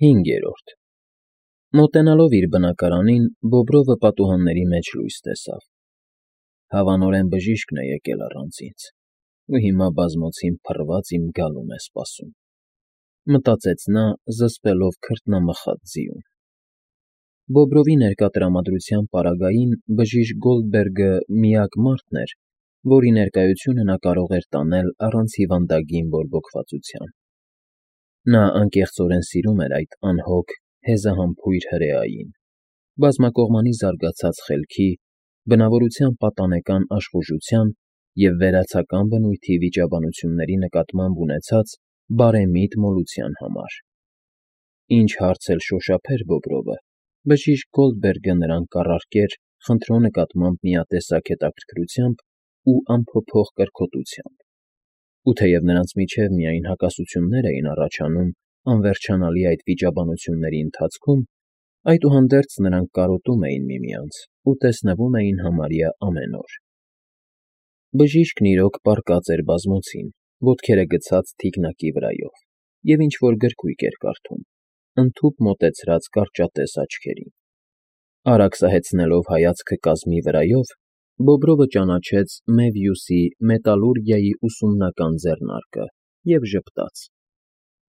5. Մոտենալով իր բնակարանին, Բոբրովը պատուհանների մեջ լույս տեսավ. հավանորեն բժիշկն է եկել առանց ինձ, ու հիմա բազմոցին փռված իմ գալուն է սպասում, մտածեց նա, զսպելով քրտնամխած ձիուն։ Բոբրովի ներկա տրամադրության պարագային բժիշկ Գոլդբերգը միակ մարդն էր, որի ներկայությունը նա կարող էր տանել առանց հիվանդագին բորբոքվածության։ Նա անկեղծորեն սիրում էր այդ անհոգ, հեզահամբույր հրեային, բազմակողմանի զարգացած խելքի, բնավորության պատանեկան աշխուժության և վերացական բնույթի վիճաբանությունների նկատմամբ ունեցած բարեմիտ մոլության համար։ Ինչ հարց էլ շոշափեր Բոբրովը, բժիշկ Գոլդբերգը նրան կառարկեր խնդրո նկատմամբ միատեսակ հետաքրքրությամբ ու անփոփոխ կրքոտությամբ, ու թեև նրանց միջև միայն հակասություններ էին առաջանում անվերջանալի այդ վիճաբանությունների ընթացքում, այդուհանդերձ նրանք կարոտում էին միմյանց ու տեսնվում էին համարյա ամեն օր։ Բժիշկն իրոք պառկած էր բազմոցին, ոտքերը գցած թիկնակի վրայով, և ինչ֊որ գրքույկ էր կարդում, ընդհուպ մոտեցրած կարճատես աչքերին։ Արագ սահեցնելով հայացքը կազմի վրայով, Բոբրովը ճանաչեց Մևյուսի մետալուրգիայի ուսումնական ձեռնարկը և ժպտաց.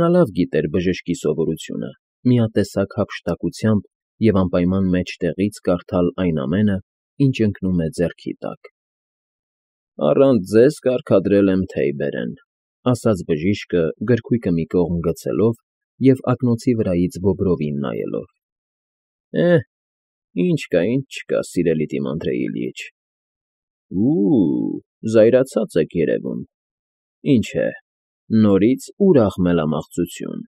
նա լավ գիտեր բժշկի սովորությունը միատեսակ հափշտակությամբ և անպայման մեջտեղից կարդալ այն ամենը, ինչ ընկնում է ձեռքի տակ։ «Առանց ձեզ կարգադրել եմ թեյ բերեն», ասաց բժիշկը գրքույկը մի կողմ գցելով և ակնոցի վրայից Բոբրովին նայելով։ Ինչ կա, ինչ չկա, սիրելի Դիմանդրե Իլյիչ։ Զայրացած եք երևում։ Ինչ է, նորից ուրախ մելամաղձություն։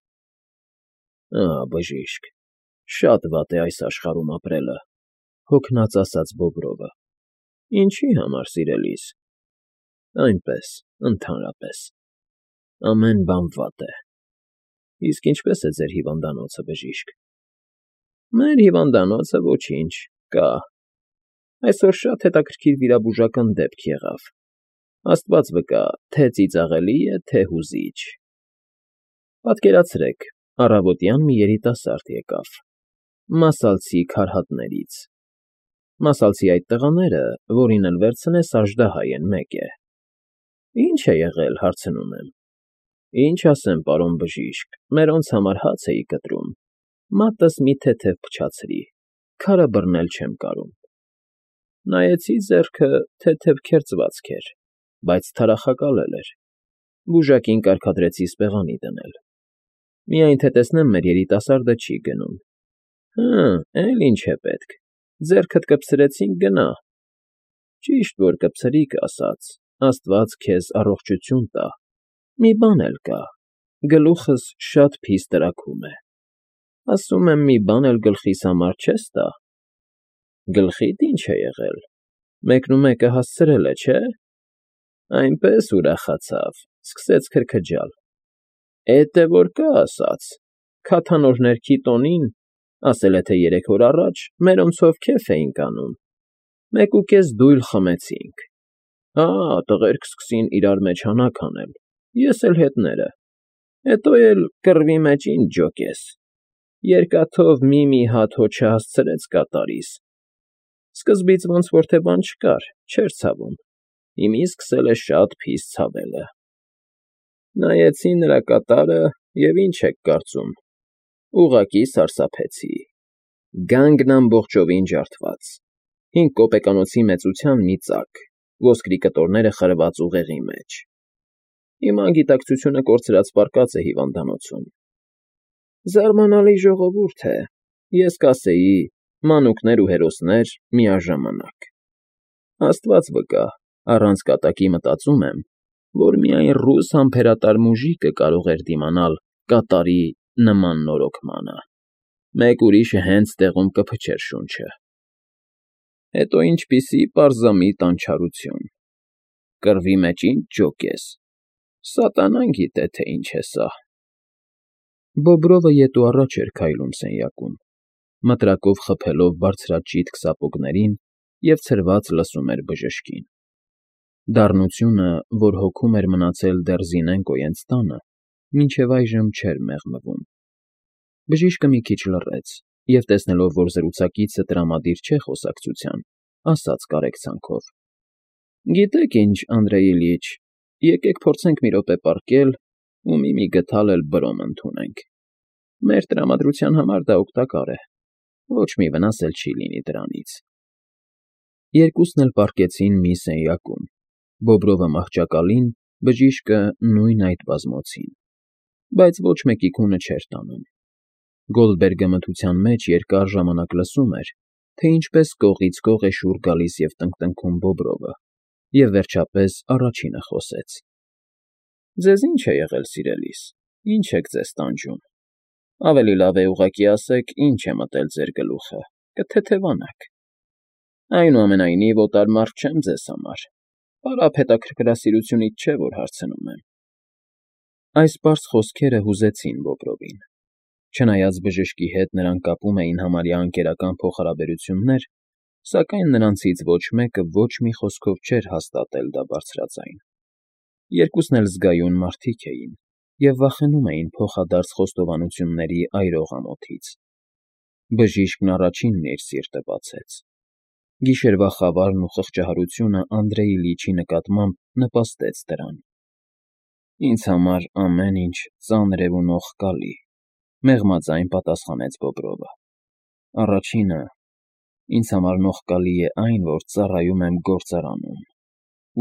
Բժիշկ, շատ վատ է այս աշխարհում ապրելը, հոգնած ասաց Բոբրովը։ Ինչի համար, սիրելիս։ Այնպես, ընդհանրապես։ Ամեն բան վատ է։ Իսկ ինչպե՞ս է ձեր հիվանդանոցը, բժիշկ։ Մեր հիվանդանոցը ոչինչ, կա։ Այսօր շատ հետաքրքիր վիրաբուժական դեպք եղավ։ Աստված վկա, թե ծիծաղելի է, թե հուզիչ։ Պատկերացրեք, առավոտյան մի երիտասարդ եկավ Մասալցի քարհատներից։ Մասալցի այդ տղաները, որին էլ վերցնես, աժդահայ են, մեկ է։ Ինչ է եղել, հարցնում եմ։ Ինչ ասեմ, պարոն բժիշկ, մերոնց համար հաց էի կտրում, մատս մի թեթև փչացրի, քարը բռնել չեմ կարում։ Նայեցի ձեռքը, թեթև քերծվածք էր, բայց թարախակալել էր։ Բուժակին կարգադրեցի սպեղանի դնել։ Միայն թե տեսնեմ, մեր երիտասարդը չի գնում։ Էլ ինչ է պետք, ձեռքդ կպսրեցինք, գնա։ Ճիշտ որ կպսրիկ ասած, Աստված քեզ առողջություն տա։ Մի բան էլ կա, գլուխս շատ փիս տրաքում է։ Ասում եմ, մի բան էլ գլխիս համար չես տա։ Գլխիդ ինչ է եղել, մեկնումեկը հասցրել է, չէ։ Այնպես ուրախացավ, սկսեց քրքջալ։ Էդ է որ կա ասած, քաթանորներքի տոնին, ասել է թե 3 օր առաջ, մերոնցով քեֆ էինք անում, 1.5 դույլ խմեցինք։ Տղերք սկսին իրար մեջ հանակ անել, ես էլ հետները։ Հետո էլ կռվի մեջ ինչ ջոկես։ Երկաթով մի հատ հո չհասցրեց կատարիս։ Սկզբից ոնց որ թե բան չկար, չէր ցավում, հիմի սկսել է շատ փիս ցավելը։ Նայեցի նրա կատարը և ինչ եք կարծում, ուղղակի սարսափեցի։ Գանգն ամբողջովին ջարդված, 5 կոպեկանոցի մեծության մի ծակ, ոսկրի կտորները խրված ուղեղի մեջ։ Հիմա գիտակցությունը կորցրած պառկած է հիվանդանոցում։ Զարմանալի ժողովուրդ է, ես կասեի, մանուկներ ու հերոսներ միաժամանակ։ Աստված վկա, առանց կատակի մտածում եմ, որ միայն ռուս համբերատար մուժիկը կարող էր դիմանալ կատարի նման նորոգմանը։ Մեկ ուրիշը հենց տեղում կփչեր շունչը։ Հետո ինչպիսի պարզամիտ անչարություն։ Կռվի մեջ ինչ ջոկես։ Սատանան գիտե, թե ինչ է սա։ Բոբրովը ետ ու առաջ էր քայլում սենյակում, մտրակով խփելով բարձրաճիտ սապոգներին և ցրված լսում էր բժշկին։ Դառնությունը, որ հոգում էր մնացել դեռ Զինենկոյենց տանը, մինչև այժմ չէր մեղմվում։ Բժիշկը մի քիչ լռեց և, տեսնելով, որ զրուցակիցը տրամադիր չէ խոսակցության, ասաց կարեկցանքով. «Գիտեք ինչ, Անդրեյ Իլյիչ, եկեք փորձենք մի րոպե պառկել ու մի գդալ էլ բրոմ ընդունենք։ Մեր տրամադրության համար դա օգտակար է, ոչ մի վնաս էլ չի լինի դրանից»։ Երկուսն էլ պառկեցին մի սենյակում, Բոբրովը մահճակալին, բժիշկը նույն այդ բազմոցին, բայց ոչ մեկի քունը չէր տանում։ Գոլդբերգը մթության մեջ երկար ժամանակ լսում էր, թե ինչպես կողից կող է շուռ գալիս և տնկտնքում Բոբրովը, և վերջապես առաջինը խոսեց. «Ձեզ ի՞նչ է եղել, սիրելիս, ի՞նչ եք ձեզ տանջում։ Ավելի լավ է ուղղակի ասեք, ինչ է մտել ձեր գլուխը, կթեթևանաք։ Այնուամենայնիվ, օտար մարդ չեմ ձեզ համար, պարապ հետաքրքրասիրությունից չէ, որ հարցնում եմ»։ Այս պարզ խոսքերը հուզեցին Բոբրովին։ Չնայած բժշկի հետ նրան կապում էին համարյա ընկերական փոխհարաբերություններ, սակայն նրանցից ոչ մեկը ոչ մի խոսքով չէր հաստատել դա բարձրաձայն։ Երկուսն էլ զգայուն մարդիկ էին և վախենում էին փոխադարձ խոստովանությունների այրող ամոթից։ Բժիշկն առաջինն իր սիրտը բացեց։ Գիշերվա խավարն ու խղճահարությունը Անդրեյ Իլյիչի նկատմամբ նպաստեց դրան։ «Ինձ համար ամեն ինչ ծանր է ու նողկալի», մեղմաձայն պատասխանեց Բոբրովը։ «Առաջինը, ինձ համար նողկալի է այն, որ ծառայում եմ գործարանում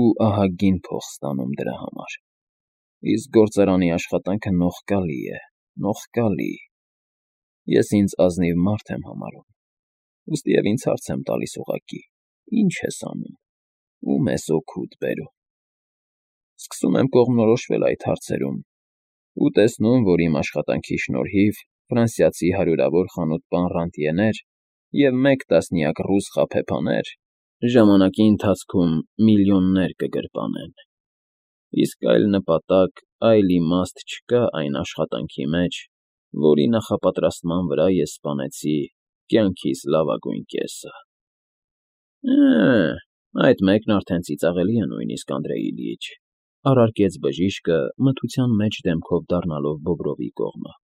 ու ահագին փող ստանում դրա համար։ Իսկ գործարանի աշխատանքը նողկալի է, նողկալի։ Ես ինձ ազնիվ մարդ եմ համարում, ուստիև ինձ հարց եմ տալիս ուղղակի. ի՞նչ ես անում, ո՞ւմ ես օգուտ բերում։ Սկսում եմ կողմնորոշվել այդ հարցերում ու տեսնում, որ իմ աշխատանքի շնորհիվ ֆրանսիացի հարյուրավոր խանութպան ռանտյեներ և 1/10 ռուս խաբեբաներ ժամանակի ընթացքում միլիոններ կգրպանեն։ Իսկ այլ նպատակ, այլ իմաստ չկա այն աշխատանքի մեջ, որի նախապատրաստման վրա ես սպանեցի կյանքիս լավագույն կեսը»։ Այդ մեկն արդեն ծիծաղելի է նույնիսկ, Անդրեյ Իլյիչ, առարկեց բժիշկը, մթության մեջ դեմքով դառնալով Բոբրովի կողմը։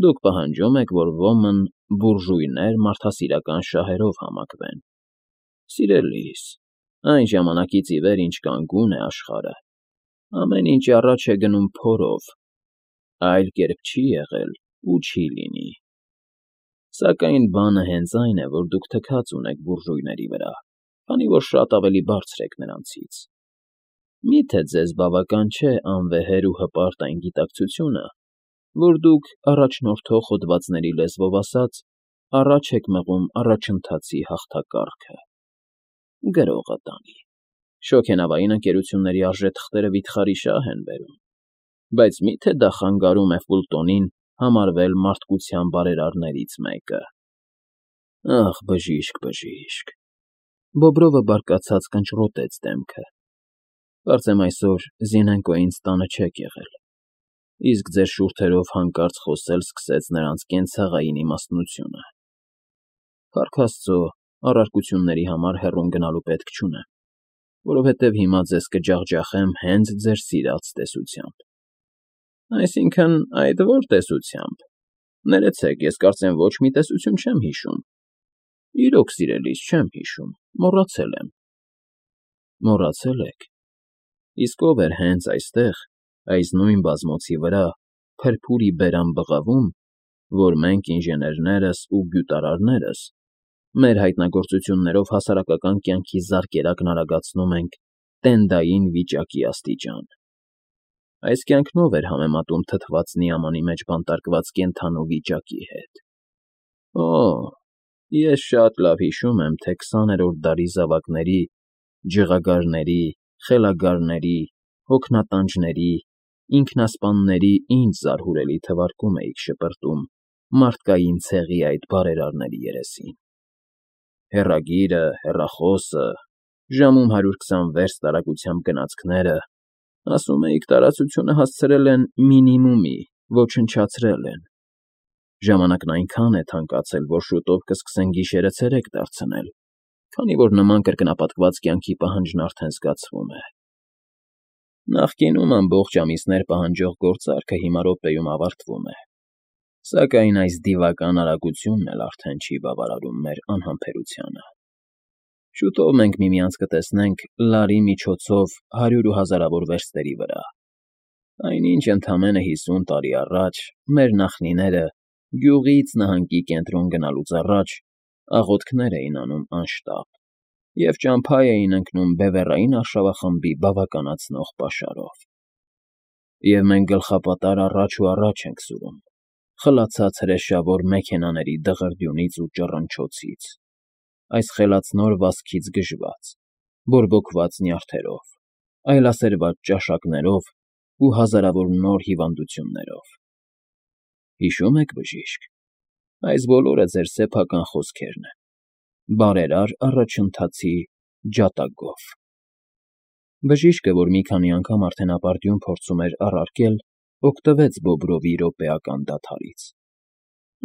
«Դուք պահանջում եք, որ ոմն բուրժուйներ մարդասիրական շահերով համակվեն։ Սիրելիս, այն ժամանակից ի վեր, ինչ կանգուն է աշխարհը, ամեն ինչ առաջ է գնում փորով, այլ կերպ չի եղել ու չի լինի։ Սակայն բանը հենց այն է, որ դուք թքած ունեք բուրժուйների վրա, քանի որ շատ ավելի բարձր եք նրանցից։ Մի՞թե ձեզ բավական չէ անվեհեր ու հպարտ այն գիտակցությունը, որ դուք, առաջնորդող հոդվածների լեզվով ասած, առաջ եք մղում առաջընթացի հաղթակառքը։ Գրողը տանի։ Շոգենավային ընկերությունների արժեթղթերը վիթխարի շահ են բերում, բայց մի՞թե դա խանգարում է Ֆուլտոնին համարվել մարդկության բարերարներից մեկը։ Ախ, բժիշկ, բժիշկ։ Բոբրովը բարկացած կնճռոտեց դեմքը։ Կարծեմ այսօր Զինենկոյին տանը չեք եղել, իսկ ձեր շուրթերով հանկարծ խոսել սկսեց նրանց կենցաղային իմաստնությունը։ Փառք Աստծո, առարկությունների համար հեռուն գնալու պետք չունեմ, որովհետև հիմա ձեզ կջախջախեմ հենց ձեր սիրած տեսությամբ։ Այսինքն, այդ ո՞ր տեսությամբ։ Ներեցեք, ես կարծեմ ոչ մի տեսություն չեմ հիշում։ Իրոք, սիրելիս, չեմ հիշում, մոռացել եմ։ Մոռացել եք։ Իսկ ով էր հենց այստեղ, այս նույն բազմոցի վրա, փրփուրի բերան բղավում, որ մենք ինժեներներս ու գյուտարարներս մեր հայտնագործություններով հասարակական կյանքի զարկերակն արագացնում ենք տենդային վիճակի աստիճան։ Այս կյանքն ով էր համեմատում թթված նիամանի մեջ բանտարկված կենդանու վիճակի հետ։ Ես շատ լավ հիշում եմ, թե 20-րդ դարի զավակների, ջղագարների, խելագարների, հոգնատանջների, ինքնասպանների ինչ զարհուրելի թվարկում էիք շպրտում մարդկային ցեղի այդ բարերարների երեսին։ Հեռագիրը, հեռախոսը, ժամում 120 վերստ արագությամբ գնացքները, ասում էիք, տարածությունը հասցրել են մինիմումի, ոչնչացրել են։ Ժամանակն այնքան է թանկացել, որ շուտով կսկսեն գիշերը ցերեկ դարձնել, քանի որ նման կրկնապատկված կյանքի պահանջն արդեն զգացվում է։ Նախկինում ամբողջ ամիսներ պահանջող գործարքը հիմա րոպեում ավարտվում է։ Սակայն այս դիվական արագությունն էլ արդեն չի բավարարում մեր անհամբերությանը։ Շուտով մենք միմյանց կտեսնենք լարի միջոցով հարյուր ու հազարավոր վերստերի վրա, այնինչ ընդամենը 50 տարի առաջ մեր նախնիները գյուղից նահանգի կենտրոն գնալուց առաջ աղոթքներ էին անում անշտապ և ճամփա էին ընկնում բևեռային արշավախմբի բավականացնող պաշարով։ Եվ մենք գլխապատար առաջ ու առաջ ենք սուրում, խլացած հրեշավոր մեքենաների դղրդյունից ու ճռնչոցից, այս խելացնոր վազքից գժված, բորբոքված նյարդերով, այլասերված ճաշակներով ու հազարավոր նոր հիվանդություններով։ Հիշո՞ւմ եք, բժիշկ, այս բոլորը ձեր սեփական խոսքերն են, բարերար առաջընթացի ջատագով։ Բժիշկը, որ մի քանի անգամ արդեն ապարդյուն փորձում էր առարկել, օգտվեց Բոբրովի րոպեական դադարից։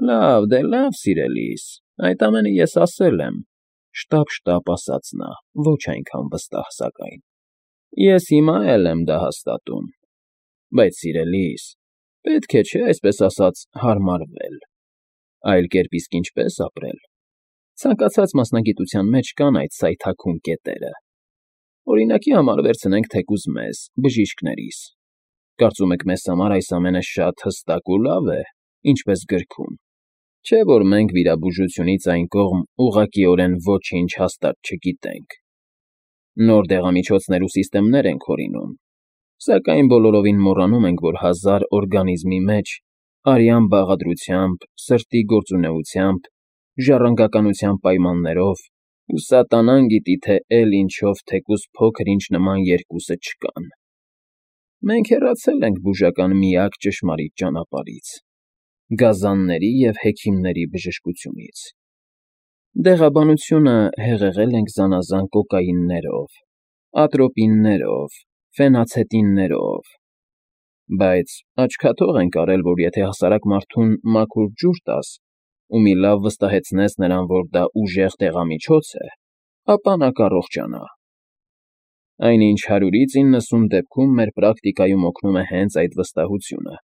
Լավ, դե լավ, սիրելիս, այդ ամենը ես ասել եմ,֊ շտապ ասաց նա, ոչ այնքան վստահ սակայն։ Ես հիմա էլ եմ դա հաստատում։ Բայց, սիրելիս, պետք է, չէ՞, այսպես ասած, հարմարվել, այլ կերպ իսկ ինչպե՞ս ապրել։ Ցանկացած մասնագիտության մեջ կան այդ սայթաքուն կետերը։ Օրինակի համար վերցնենք թեկուզ մեզ, բժիշկներիս։ Կարծում եք մեզ համար այս ամենը շատ հստակ ու լավ է, ինչպես գրքում, չէ՞ որ մենք վիրաբուժությունից այն կողմ ուղղակիորեն ոչինչ հաստատ չգիտենք։ Նոր դեղամիջոցներ ու սիստեմներ ենք հորինում, սակայն բոլորովին մոռանում ենք, որ 1000 օրգանիզմի մեջ արյան բաղադրությամբ, սրտի գործունեությամբ, ժառանգականության պայմաններով ու սատանան գիտի թե էլ ինչով թեկուզ փոքր-ինչ նման երկուսը չկան։ Մենք հեռացել ենք բուժական միակ ճշմարիտ ճանապարհից՝ գազանների և հեքիմների բժշկությունից։ Դեղաբանությունը հեղեղել ենք զանազան կոկաիններով, ատրոպիններով, ֆենացետիններով, բայց աչքաթող ենք արել, որ եթե հասարակ մարդուն մաքուր ջուր տաս ու մի լավ վստահեցնես նրան, որ դա ուժեղ դեղամիջոց է, ապա նա կառողջանա։ Այնինչ 100-ից 90 դեպքում մեր պրակտիկայում օգնում է հենց այդ վստահությունը,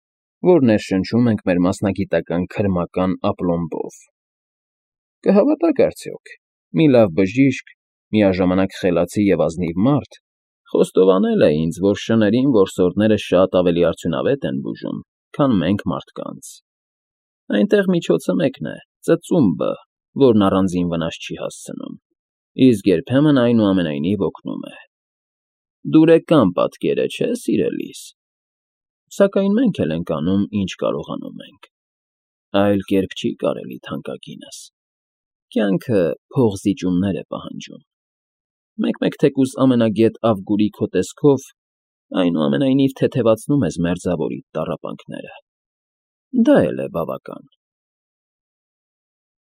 որ ներշնչում ենք մեր մասնագիտական քրմական ապլոմբով։ Կհավատաք արդյոք, մի լավ բժիշկ, միաժամանակ խելացի և ազնիվ մարդ խոստովանել է ինձ, որ շներին որսորդները շատ ավելի արդյունավետ են բուժում, քան մենք մարդկանց։ Այնտեղ միջոցը մեկն է՝ ծծումբը, որն առանձին վնաս չի հասցնում, իսկ երբեմն այնուամենայնիվ օգնում է։ Դուրեկան պատկեր է, չէ՞, սիրելիս։ Սակայն մենք էլ ենք անում, ինչ կարողանում ենք։ Այլ կերպ չի կարելի, թանկագինս։ Կյանքը փողզիջումներ է պահանջում։ Մեկ-մեկ թեկուզ ամենագետ Ավգուրի քո տեսքով այնուամենայնիվ թեթևացնում ես մերձավորիդ տառապանքները։ Դա էլ է բավական։